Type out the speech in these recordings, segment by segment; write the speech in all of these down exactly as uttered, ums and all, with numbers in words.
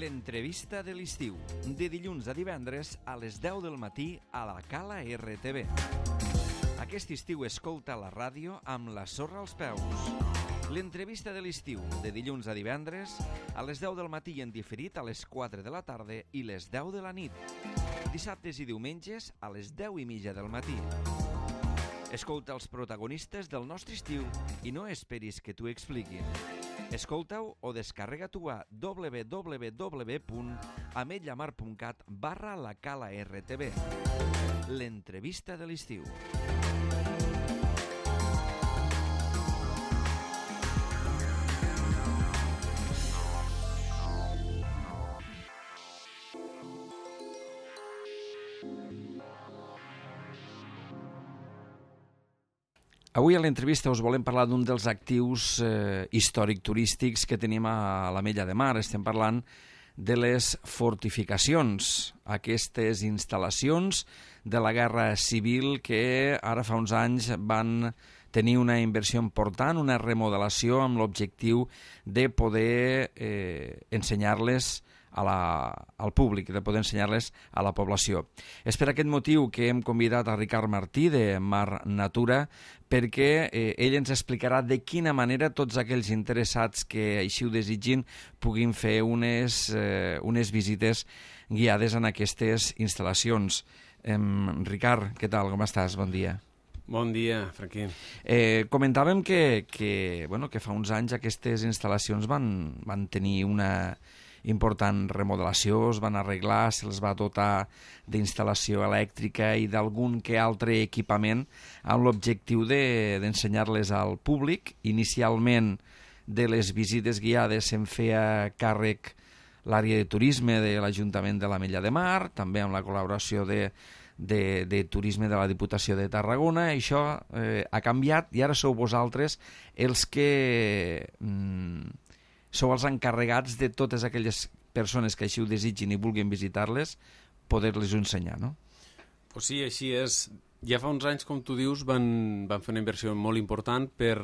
L'entrevista de l'estiu, de dilluns a divendres a les deu del matí a la Cala R T V. Aquest estiu escolta la ràdio amb la sorra als peus. L'entrevista de l'estiu, de dilluns a divendres a les deu del matí i en diferit a les quatre de la tarda i les deu de la nit. Dissabtes i diumenges a les deu i mitja del matí. Escolta els protagonistes del nostre estiu i no esperis que t'ho expliquin. Escolta-ho o descarrega-t'ho a w w w punt ametlllamar punt cat barra la Cala R T V. L'entrevista de l'estiu. Avui a l'entrevista us volem parlar d'un dels actius eh, històric-turístics que tenim a l'Ametlla de Mar. Estem parlant de les fortificacions, aquestes instal·lacions de la Guerra Civil que ara fa uns anys van tenir una inversió important, una remodelació amb l'objectiu de poder eh, ensenyar-les a la, al públic, de poder ensenyar-les a la població. És per aquest motiu que hem convidat a Ricard Martí de Mar Natura perquè eh, ell ens explicarà de quina manera tots aquells interessats que així ho desitgin puguin fer unes, eh, unes visites guiades en aquestes instal·lacions. Eh, Ricard, què tal? Com estàs? Bon dia. Bon dia, Franquí. Eh, comentàvem que, que, bueno, que fa uns anys aquestes instal·lacions van, van tenir una important remodelació, es van arreglar, se'ls va dotar d'instal·lació elèctrica i d'algun que altre equipament amb l'objectiu de, d'ensenyar-les al públic. Inicialment de les visites guiades se'n feia càrrec l'àrea de turisme de l'Ajuntament de l'Ametlla de Mar, també amb la col·laboració de, de, de turisme de la Diputació de Tarragona. Això eh, ha canviat i ara sou vosaltres els que mm, sou els encarregats de totes aquelles persones que així ho desitgin i vulguin visitar-les, poder-les ensenyar, no? Pues sí, així és. Ja fa uns anys, com tu dius, van, van fer una inversió molt important per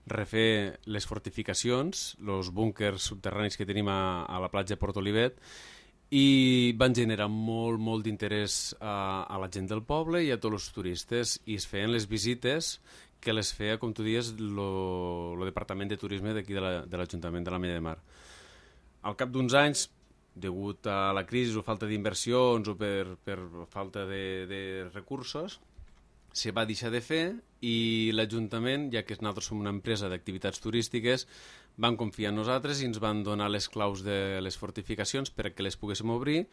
refer les fortificacions, els búnkers subterranis que tenim a, a la platja de Port Olivet, i van generar molt, molt d'interès a, a la gent del poble i a tots els turistes, i es feien les visites que les feia, com tu dius, el Departament de Turisme d'aquí de l'Ajuntament de l'Ametlla de Mar. Al cap d'uns anys, degut a la crisi o falta d'inversions o per, per falta de, de recursos, se va deixar de fer i l'Ajuntament, ja que nosaltres som una empresa d'activitats turístiques, van confiar en nosaltres i ens van donar les claus de les fortificacions perquè les poguéssim obrir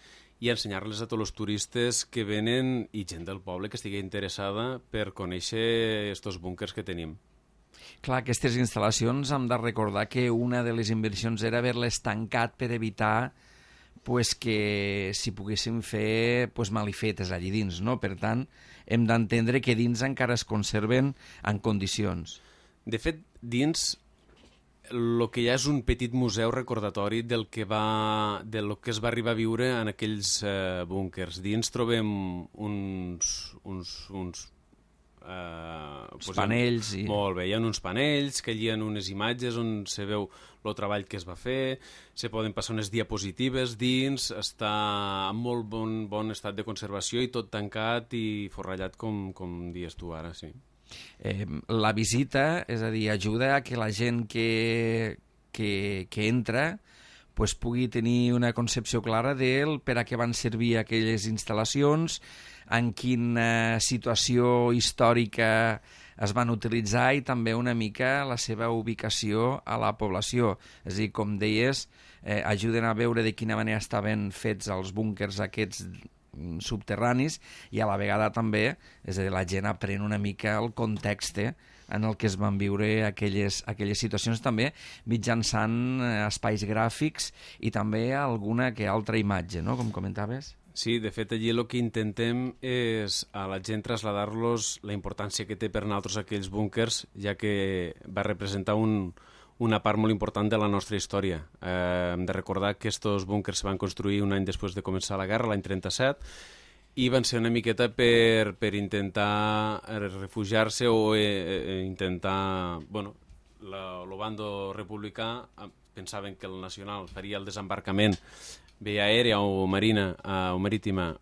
i ensenyar-les a tots els turistes que venen i gent del poble que estigui interessada per conèixer aquests búnkers que tenim. Clar, aquestes instal·lacions hem de recordar que una de les inversions era haver-les tancat per evitar pues, que s'hi poguessin fer pues, malifetes allí dins, no? Per tant, hem d'entendre que dins encara es conserven en condicions. De fet, dins el que hi ha és un petit museu recordatori del que, va, del que es va arribar a viure en aquells eh, búnkers. Dins trobem uns... uns, uns Uh, pues panells i... Molt bé, hi ha uns panells que allí hi ha unes imatges on se veu el treball que es va fer, se poden passar unes diapositives dins, està en molt bon, bon estat de conservació i tot tancat i forrellat com, com dius tu ara, sí. Eh, la visita, és a dir, ajuda a que la gent que, que, que entra pues, pugui tenir una concepció clara del per a què van servir aquelles instal·lacions, en quina situació històrica es van utilitzar i també una mica la seva ubicació a la població. És a dir, com deies, eh, ajuden a veure de quina manera estaven fets els búnkers aquests subterranis i a la vegada també, és a dir, la gent aprèn una mica el context en el que es van viure aquelles, aquelles situacions, també mitjançant espais gràfics i també alguna que altra imatge, no?, com comentaves. Sí, de fet, allí el que intentem és a la gent traslladar-los la importància que té per nosaltres aquells búnkers, ja que va representar un, una part molt important de la nostra història. Eh, hem de recordar que aquests búnkers se van construir un any després de començar la guerra, l'any trenta-set, i van ser una miqueta per, per intentar refugiar-se o eh, intentar... Bueno, el bando republicà pensaven que el nacional faria el desembarcament via aèria o marina eh, o marítima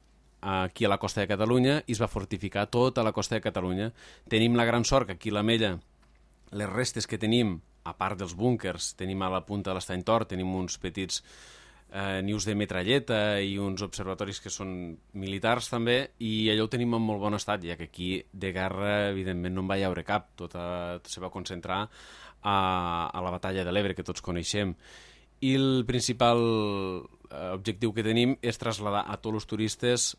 aquí a la costa de Catalunya i es va fortificar tota la costa de Catalunya. Tenim la gran sort que aquí a l'Ametlla les restes que tenim, a part dels búnkers, tenim a la punta de l'Estany Tor, tenim uns petits eh, nius de metralleta i uns observatoris que són militars també, i allò ho tenim en molt bon estat, ja que aquí de guerra evidentment no en va haure cap, tot, a, tot se va concentrar a, a la batalla de l'Ebre que tots coneixem. I el principal eh, objectiu que tenim és traslladar a tots els turistes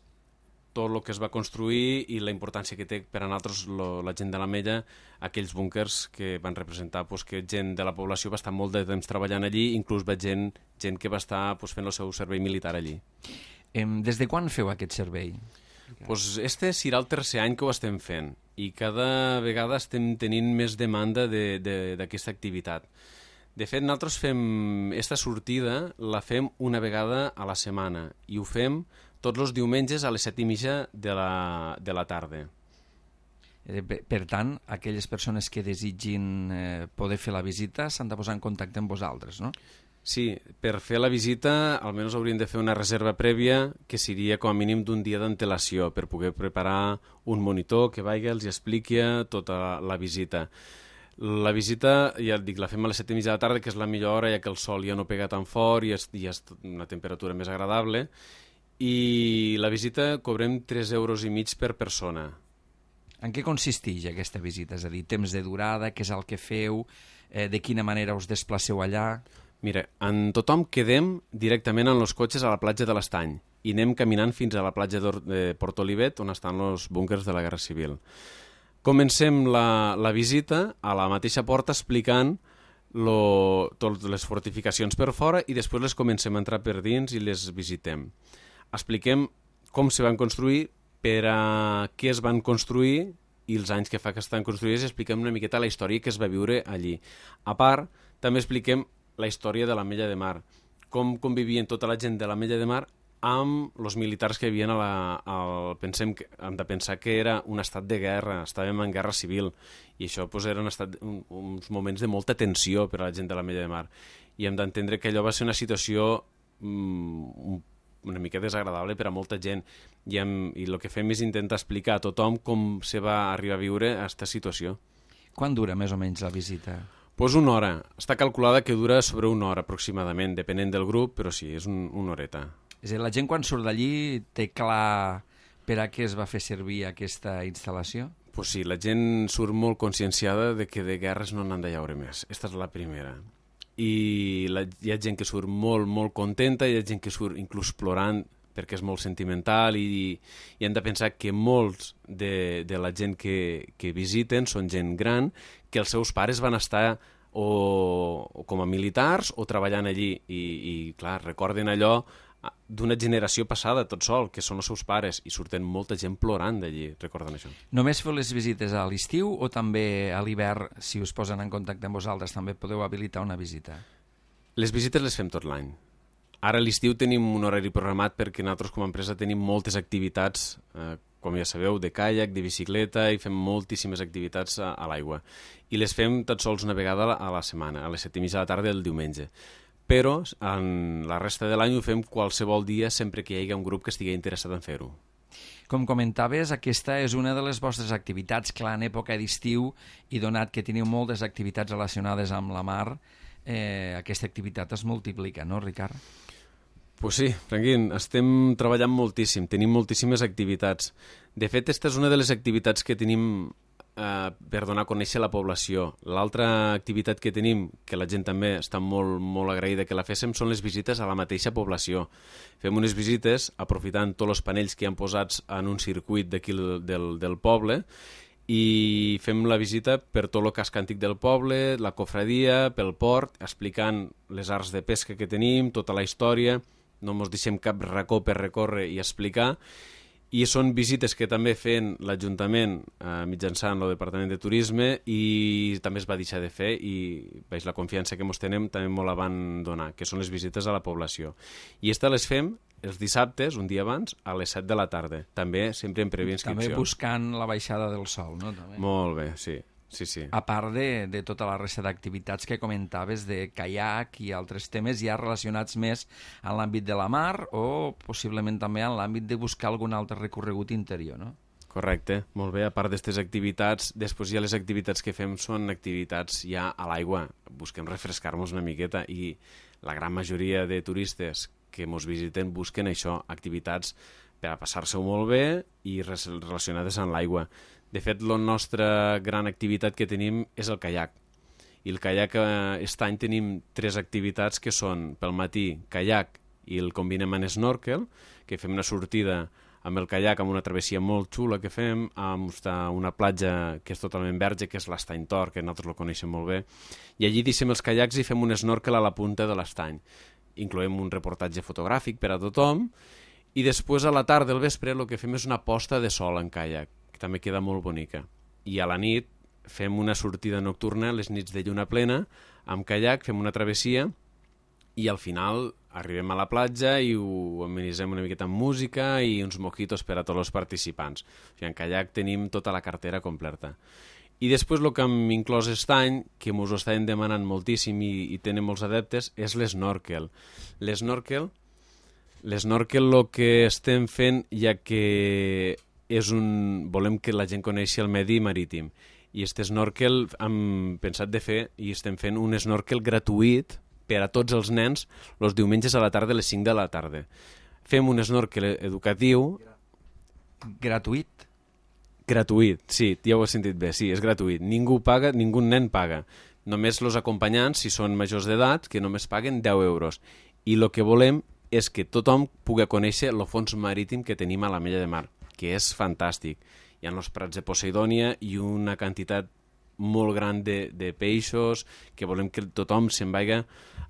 tot el que es va construir i la importància que té per a nosaltres lo, la gent de l'Ametlla, aquells búnkers que van representar pues, que gent de la població va estar molt de temps treballant allí, inclús va gent, gent que va estar pues, fent el seu servei militar allí. Des de quan feu aquest servei? Pues este serà el tercer any que ho estem fent i cada vegada estem tenint més demanda d'aquesta de, de, activitat. De fet, nosaltres fem esta sortida, la fem una vegada a la setmana i ho fem tots els diumenges a les set i mitja de la, de la tarda. Per tant, aquelles persones que desitgin eh, poder fer la visita s'han de posar en contacte amb vosaltres, no? Sí, per fer la visita almenys haurien de fer una reserva prèvia que seria com a mínim d'un dia d'antelació per poder preparar un monitor que vagi els expliqui tota la visita. La visita, ja et dic, la fem a les set i mitja de la tarda, que és la millor hora, ja que el sol ja no pega tan fort i és, i és una temperatura més agradable. I la visita cobrem tres euros i mig per persona. En què consisteix aquesta visita? És a dir, temps de durada, què és el que feu, eh, de quina manera us desplaceu allà? Mira, en tothom quedem directament en els cotxes a la platja de l'Estany i anem caminant fins a la platja de Port Olivet, on estan els búnkers de la Guerra Civil. Comencem la, la visita a la mateixa porta explicant lo, totes les fortificacions per fora i després les comencem a entrar per dins i les visitem. Expliquem com se van construir, per a què es van construir i els anys que fa que estan construïdes, i expliquem una miqueta la història que es va viure allí. A part, també expliquem la història de l'Ametlla de Mar, com convivien tota la gent de l'Ametlla de Mar amb els militars que havien a la... Al, pensem que, hem de pensar que era un estat de guerra, estàvem en guerra civil, i això pues, eren estat, un, uns moments de molta tensió per a la gent de l'Ametlla de Mar. I hem d'entendre que allò va ser una situació mm, una mica desagradable per a molta gent, i, hem, i el que fem és intentar explicar a tothom com se va arribar a viure a aquesta situació. Quan dura més o menys la visita? Pues una hora. Està calculada que dura sobre una hora aproximadament, depenent del grup, però sí, és un, una horeta. És a dir, la gent quan surt d'allí té clar per a què es va fer servir aquesta instal·lació? Pues sí, la gent surt molt conscienciada de que de guerres no n'han de llaure més. Esta és la primera. I la, hi ha gent que surt molt, molt contenta, hi ha gent que surt inclús plorant perquè és molt sentimental, i, i hem de pensar que molts de, de la gent que, que visiten són gent gran, que els seus pares van estar o, o com a militars o treballant allí, i, i clar, recorden allò d'una generació passada tot sol, que són els seus pares, i surten molta gent plorant d'allí, recordant això. Només feu les visites a l'estiu o també a l'hivern, si us posen en contacte amb vosaltres, també podeu habilitar una visita? Les visites les fem tot l'any. Ara a l'estiu tenim un horari programat perquè nosaltres com a empresa tenim moltes activitats, eh, com ja sabeu, de caiac, de bicicleta, i fem moltíssimes activitats a, a l'aigua. I les fem tot sols una vegada a la setmana, a les set i mitja de la tarda del diumenge. Però en la resta de l'any ho fem qualsevol dia, sempre que hi hagi un grup que estigui interessat en fer-ho. Com comentaves, aquesta és una de les vostres activitats, clar, en època d'estiu, i donat que teniu moltes activitats relacionades amb la mar, eh, aquesta activitat es multiplica, no, Ricard? Pues sí, Franquín, estem treballant moltíssim, tenim moltíssimes activitats. De fet, aquesta és una de les activitats que tenim eh, per donar a conèixer la població. L'altra activitat que tenim, que la gent també està molt, molt agraïda que la féssim, són les visites a la mateixa població. Fem unes visites aprofitant tots els panells que hi han posats en un circuit d'aquí del, del poble, i fem la visita per tot el casc antic del poble, la cofradia, pel port, explicant les arts de pesca que tenim, tota la història. No ens deixem cap racó per recórrer i explicar, i són visites que també fem l'Ajuntament eh, mitjançant el Departament de Turisme, i també es va deixar de fer, i veig la confiança que ens tenem també molt la van donar, que són les visites a la població. I aquestes les fem els dissabtes, un dia abans, a les set de la tarda, també sempre en prèvia inscripció. També buscant la baixada del sol, no? També. Molt bé, sí. sí, sí. A part de, de tota la resta d'activitats que comentaves de caiac i altres temes ja relacionats més en l'àmbit de la mar o possiblement també en l'àmbit de buscar algun altre recorregut interior, no? Correcte, molt bé. A part d'aquestes activitats, després ja les activitats que fem són activitats ja a l'aigua. Busquem refrescar-nos una miqueta i la gran majoria de turistes que ens visiten busquen això, activitats per a passar-se-ho molt bé i relacionades amb l'aigua. De fet, la nostra gran activitat que tenim és el caiac. I el caiac, aquest any tenim tres activitats que són pel matí caiac i el combinem amb snorkel, que fem una sortida amb el caiac, amb una travessia molt xula que fem, amb una platja que és totalment verge, que és l'Estany Tor, que nosaltres lo coneixem molt bé, i allí deixem els caiacs i fem un snorkel a la punta de l'estany. Incloem un reportatge fotogràfic per a tothom, i després a la tarda, al vespre, el que fem és una posta de sol en caiac, que també queda molt bonica. I a la nit fem una sortida nocturna, les nits de lluna plena, amb caiac, fem una travessia, i al final arribem a la platja i ho amenitzem una miqueta amb música i uns mojitos per a tots els participants. O sigui, en caiac tenim tota la cartera completa. I després el que hem inclòs aquest any, que ens ho estàvem demanant moltíssim i, i tenen molts adeptes, és l'esnorkel. L'esnorkel, l'esnorkel el que estem fent, ja que és un... volem que la gent coneixi el medi marítim. I aquest snorkel hem pensat de fer i estem fent un snorkel gratuït per a tots els nens els diumenges a la tarda a les cinc de la tarda. Fem un snorkel educatiu... Gratuït? Gratuït, sí, ja ho has sentit bé, sí, és gratuït. Ningú paga, ningú nen paga. Només els acompanyants, si són majors d'edat, que només paguen deu euros. I el que volem és que tothom pugui conèixer el fons marítim que tenim a l'Ametlla de Mar, que és fantàstic. Hi ha els prats de Poseidònia i una quantitat molt gran de, de peixos, que volem que tothom se'n vagi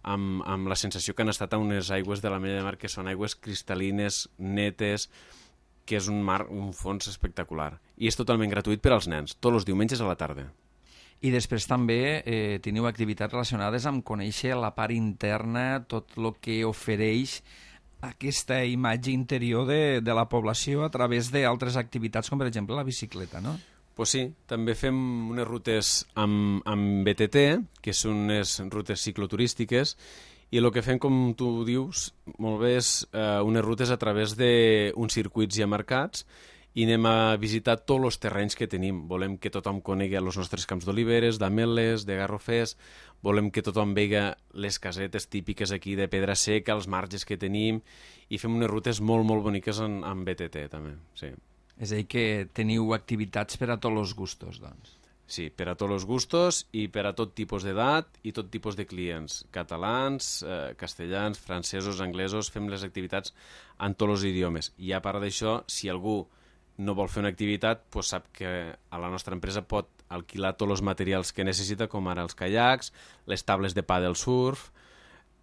amb, amb la sensació que han estat a unes aigües de l'Ametlla de Mar que són aigües cristal·lines, netes, que és un mar, un fons espectacular. I és totalment gratuït per als nens, tots els diumenges a la tarda. I després també eh, teniu activitats relacionades amb conèixer la part interna, tot el que ofereix aquesta imatge interior de, de la població a través d'altres activitats, com per exemple la bicicleta, no? Pues sí, també fem unes rutes amb, amb B T T, que són unes rutes cicloturístiques, i el que fem, com tu dius, molt bé, és eh, unes rutes a través d'uns circuits ja marcats i anem a visitar tots els terrenys que tenim. Volem que tothom conegui els nostres camps d'oliveres, d'ametlles, de garrofers, volem que tothom vegi les casetes típiques aquí de pedra seca, els marges que tenim, i fem unes rutes molt, molt boniques en, en B T T, també, sí. És a dir, que teniu activitats per a tots els gustos, doncs. Sí, per a tots els gustos i per a tot tipus d'edat i tot tipus de clients. Catalans, eh, castellans, francesos, anglesos, fem les activitats en tots els idiomes. I a part d'això, si algú no vol fer una activitat, doncs sap que a la nostra empresa pot alquilar tots els materials que necessita, com ara els caiacs, les tables de pàdel surf,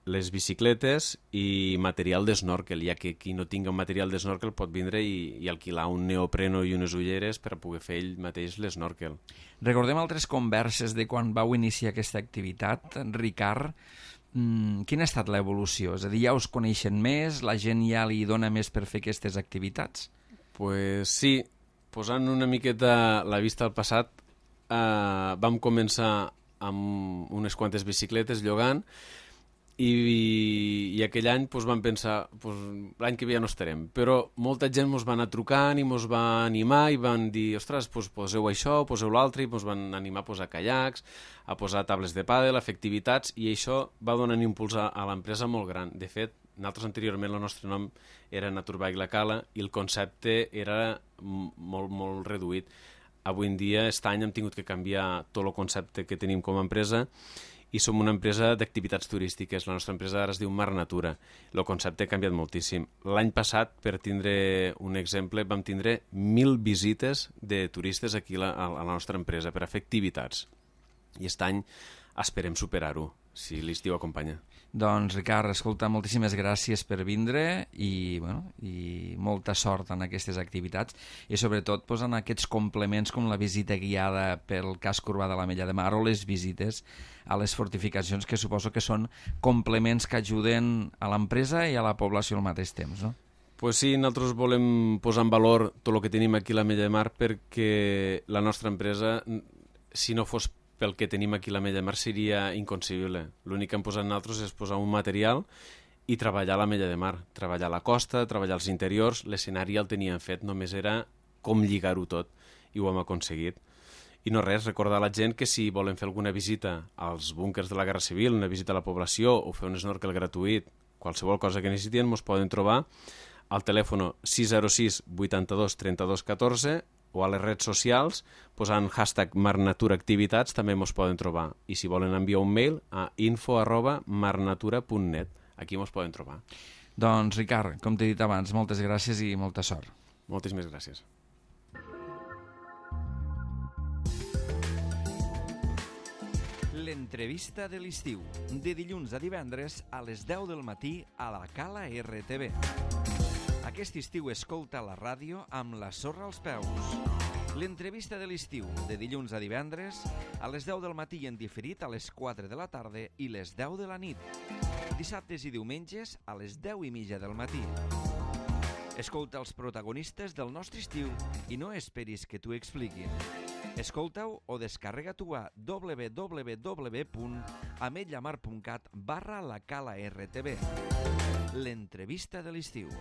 les bicicletes i material d'esnorkel, ja que qui no tingui un material d'esnorkel pot vindre i, i alquilar un neopreno i unes ulleres per a poder fer ell mateix l'esnorkel. Recordem altres converses de quan vau iniciar aquesta activitat. Ricard, mmm, quina ha estat l'evolució? És a dir, ja us coneixen més? La gent ja li dona més per fer aquestes activitats? Pues sí, posant una miqueta la vista al passat, eh, vam començar amb unes quantes bicicletes llogant, I, i aquell any pues, vam pensar pues, l'any que ve ja no estarem, però molta gent ens va anar trucant i ens va animar i van dir, ostres, pues, poseu això, poseu l'altre, i ens van animar a posar caiacs, a posar tables de pàdel, a fer activitats, i això va donar un impuls a, a l'empresa molt gran. De fet, nosaltres anteriorment el nostre nom era Naturbike La Cala i el concepte era molt, molt reduït. Avui en dia, aquest any hem tingut que canviar tot el concepte que tenim com a empresa i som una empresa d'activitats turístiques. La nostra empresa ara es diu Mar Natura. El concepte ha canviat moltíssim. L'any passat, per tindre un exemple, vam tindre mil visites de turistes aquí a la, a la nostra empresa per a fer activitats. I aquest any esperem superar-ho, si l'estiu acompanya. Doncs, Ricard, escolta, moltíssimes gràcies per vindre i, bueno, i molta sort en aquestes activitats i sobretot pues, en aquests complements com la visita guiada pel casc urbà de l'Ametlla de Mar o les visites a les fortificacions, que suposo que són complements que ajuden a l'empresa i a la població al mateix temps, no? Pues sí, nosaltres volem posar en valor tot el que tenim aquí a l'Ametlla de Mar perquè la nostra empresa si no fos pel que tenim aquí a l'Ametlla de Mar seria inconcebible. L'únic que hem posat nosaltres és posar un material i treballar a l'Ametlla de Mar, treballar a la costa, treballar als interiors, l'escenari ja el teníem fet, només era com lligar-ho tot, i ho hem aconseguit. I no res, recordar a la gent que si volen fer alguna visita als búnkers de la Guerra Civil, una visita a la població o fer un snorkel gratuït, qualsevol cosa que necessitin, ens poden trobar al telèfon sis zero sis vuitanta-dos trenta-dos catorze o a les redes socials, posant hashtag marnaturaactivitats, també ens poden trobar. I si volen enviar un mail a info arroba marnatura punt net. Aquí ens poden trobar. Doncs, Ricard, com t'he dit abans, moltes gràcies i molta sort. Moltíssimes gràcies. L'entrevista de l'estiu, de dilluns a divendres a les deu del matí a la Cala R T V. Aquest estiu escolta la ràdio amb la sorra als peus. L'entrevista de l'estiu, de dilluns a divendres, a les deu del matí i en diferit a les quatre de la tarda i les deu de la nit. Dissabtes i diumenges a les deu i mitja del matí. Escolta els protagonistes del nostre estiu i no esperis que t'ho expliquin. Escolta-ho o descarrega-t'ho a w w w punt ametllamar punt cat barra la Cala R T V. L'entrevista de l'estiu.